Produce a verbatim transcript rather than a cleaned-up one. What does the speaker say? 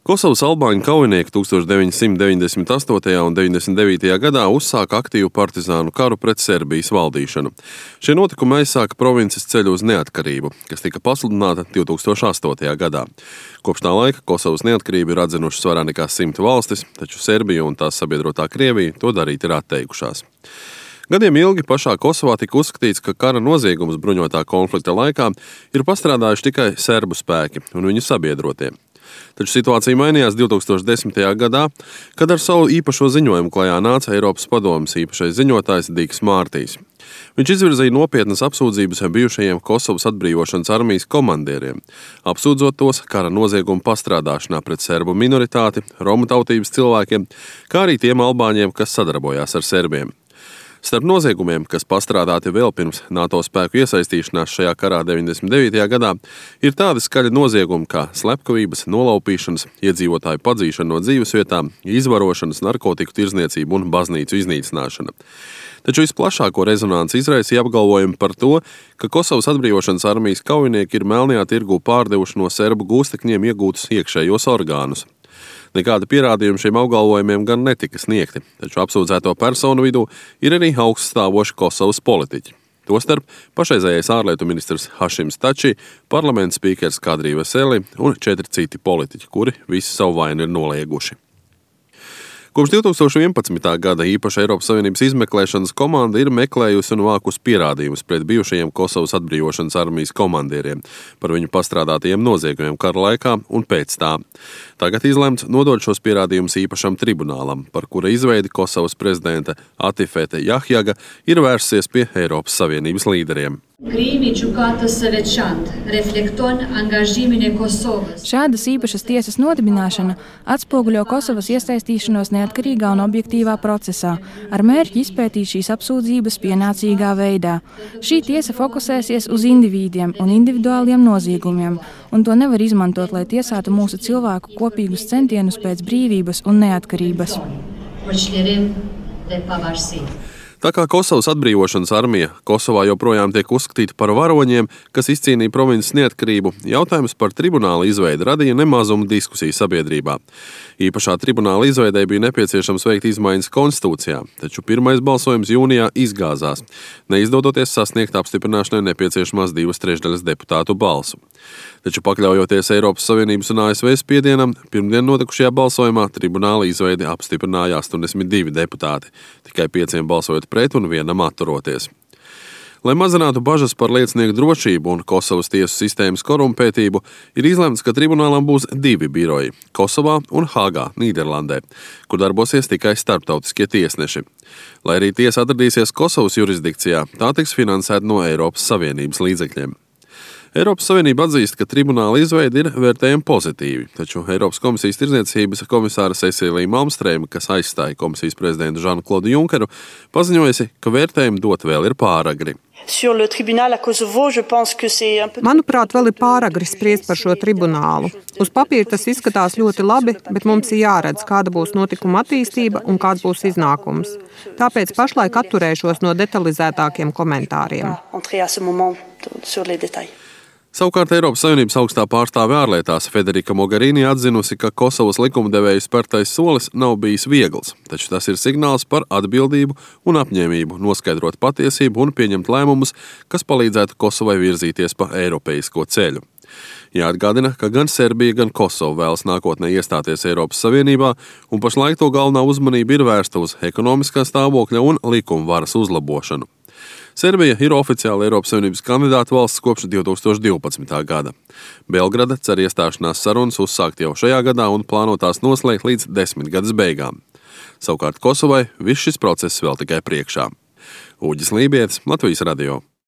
Kosovas albāņu kaujinieki tuksstoš deviņsimt deviņdesmit astotajā un deviņdesmit devītajā gadā uzsāka aktīvu partizānu karu pret Serbijas valdīšanu. Šie notikumi aizsāka provinces ceļu uz neatkarību, kas tika pasludināta divtūkstoš astotajā gadā. Kopš tā laika Kosovas neatkarību ir atzinušas vairāk nekā simt valstis, taču Serbija un tās sabiedrotā Krievija to darīt ir atteikušās. Gadiem ilgi pašā Kosovā tika uzskatīts, ka kara noziegums bruņotā konflikta laikā ir pastrādājuši tikai serbu spēki un viņu sabiedrotie. Taču situācija mainījās divtūkstoš desmitajā gadā, kad ar savu īpašo ziņojumu klajā nāca Eiropas padomes īpašais ziņotājs Diks Mārtijs. Viņš izvirzīja nopietnas apsūdzības bijušajiem Kosovas atbrīvošanas armijas komandieriem, apsūdzot tos kara noziegumu pastrādāšanā pret serbu minoritāti, romu tautības cilvēkiem, kā arī tiem albāņiem, kas sadarbojās ar serbiem. Starp noziegumiem, kas pastrādāti vēl pirms NATO spēku iesaistīšanās šajā karā deviņdesmit devītajā gadā, ir tādi skaļi noziegumi kā slepkavības, nolaupīšanas, iedzīvotāju padzīšana no dzīvesvietām, izvarošanas, narkotiku tirdzniecība un baznīcu iznīcināšana. Taču visplašāko rezonanci izraisīja apgalvojumi par to, ka Kosovas atbrīvošanas armijas kaujinieki ir melnajā tirgū pārdevuši no serbu gūstekņiem iegūtus iekšējos orgānus. Nekāda pierādījuma šiem apgalvojumiem gan netika sniegti, taču apsūdzēto personu vidū ir arī augststāvoši Kosovas politiķi. Tostarp pašreizējais ārlietu ministrs Hašims Tači, parlamenta spīkers Kadri Veseli un četri citi politiķi, kuri visi savu vainu ir nolieguši. Kopš divtūkstoš vienpadsmitā gada īpaša Eiropas Savienības izmeklēšanas komanda ir meklējusi un vākusi pierādījumus pret bijušajiem Kosovas atbrīvošanas armijas komandieriem par viņu pastrādātajiem noziegumiem kara laikā un pēc tā. Tagad izlemts nodot šos pierādījumus īpašam tribunālam, par kura izveidi Kosovas prezidente Atifete Jahjaga ir vērsies pie Eiropas Savienības līderiem. Šādas īpašas tiesas nodibināšana atspoguļo Kosovas iesaistīšanos neatkarīgā un objektīvā procesā, ar mērķi izpētīt šīs apsūdzības pienācīgā veidā. Šī tiesa fokusēsies uz indivīdiem un individuāliem noziegumiem, un to nevar izmantot, lai tiesātu mūsu cilvēku kopīgus centienus pēc brīvības un neatkarības. Tā kā Kosovas atbrīvošanas armija Kosovā joprojām tiek uzskatīta par varoņiem, kas izcīnīja provinces neatkarību, jautājums par tribunāla izveidi radīja nemazumu diskusiju sabiedrībā. Īpašā tribunāla izveidei bija nepieciešams veikt izmaiņas konstitūcijā, taču pirmais balsojums jūnijā izgāzās, neizdodoties sasniegt apstiprināšanai nepieciešamās divas trešdaļas deputātu balsu. Taču pakļaujoties Eiropas Savienības un A S V spiedienam, pirmdien notikušajā balsojumā tribunāla izveidi apstiprināja astoņdesmit divi deputāti, tikai pieciem balsojot pret un vienam atturoties. Lai mazinātu bažas par liecinieku drošību un Kosovas tiesu sistēmas korumpētību, ir izlemts, ka tribunālam būs divi biroji – Kosovā un Hāgā, Nīderlandē, kur darbosies tikai starptautiskie tiesneši. Lai arī tiesa atradīsies Kosovas jurisdikcijā, tā tiks finansēta no Eiropas Savienības līdzekļiem. Eiropas Savienība atzīst, ka tribunāla izveide ir vērtējama pozitīvi, taču Eiropas komisijas tirdzniecības komisāra Cecilija Malmstrēma, kas aizstāja komisijas prezidentu Žanu-Klodu Junkeru, paziņojusi, ka vērtējumu dot vēl ir pāragri. Manuprāt, vēl ir pāragri spriest par šo tribunālu. Uz papīra tas izskatās ļoti labi, bet mums ir jāredz, kāda būs notikuma attīstība un kāds būs iznākums. Tāpēc pašlaik atturēšos no detalizētākiem komentāriem. Savukārt Eiropas Savienības augstā pārstāve ārlietās Federika Mogherini atzinusi, ka Kosovas likumdevēju spērtais solis nav bijis viegls, taču tas ir signāls par atbildību un apņēmību noskaidrot patiesību un pieņemt lēmumus, kas palīdzētu Kosovai virzīties pa eiropeisko ceļu. Jāatgādina, ka gan Serbija, gan Kosova vēlas nākotnē iestāties Eiropas Savienībā, un pašlaik to galvenā uzmanība ir vērsta uz ekonomiskā stāvokļa un likuma varas uzlabošanu. Serbija ir oficiāli Eiropas Savienības kandidāta valsts kopš divtūkstoš divpadsmitā gada. Belgrada cer iestāšanās sarunas uzsākt jau šajā gadā un plāno tās noslēgt līdz desmitgades beigām. Savukārt Kosovai viss šis process vēl tikai priekšā. Uģis Lībietis, Latvijas radio.